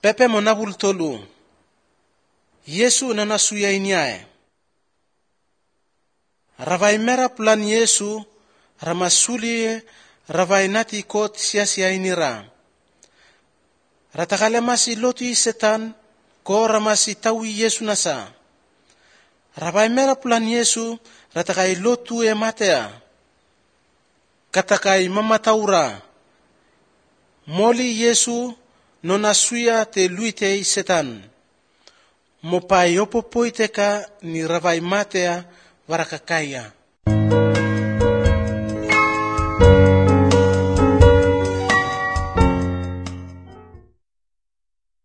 Pepe monabul tolu. Yesu nanasuya inyae. Ravai mera pulan Yesu ramasuli ravai nati kot sia-sia inira. Ratakale masi loti setan ko ramasi tawi Yesu nasa. Ravai mera pulan Yesu ratakai lotu e matea. Katakai mamataura. Moli Yesu nonasuya te luite setan. Mopai opopoiteka ni ravai matea varakakaya.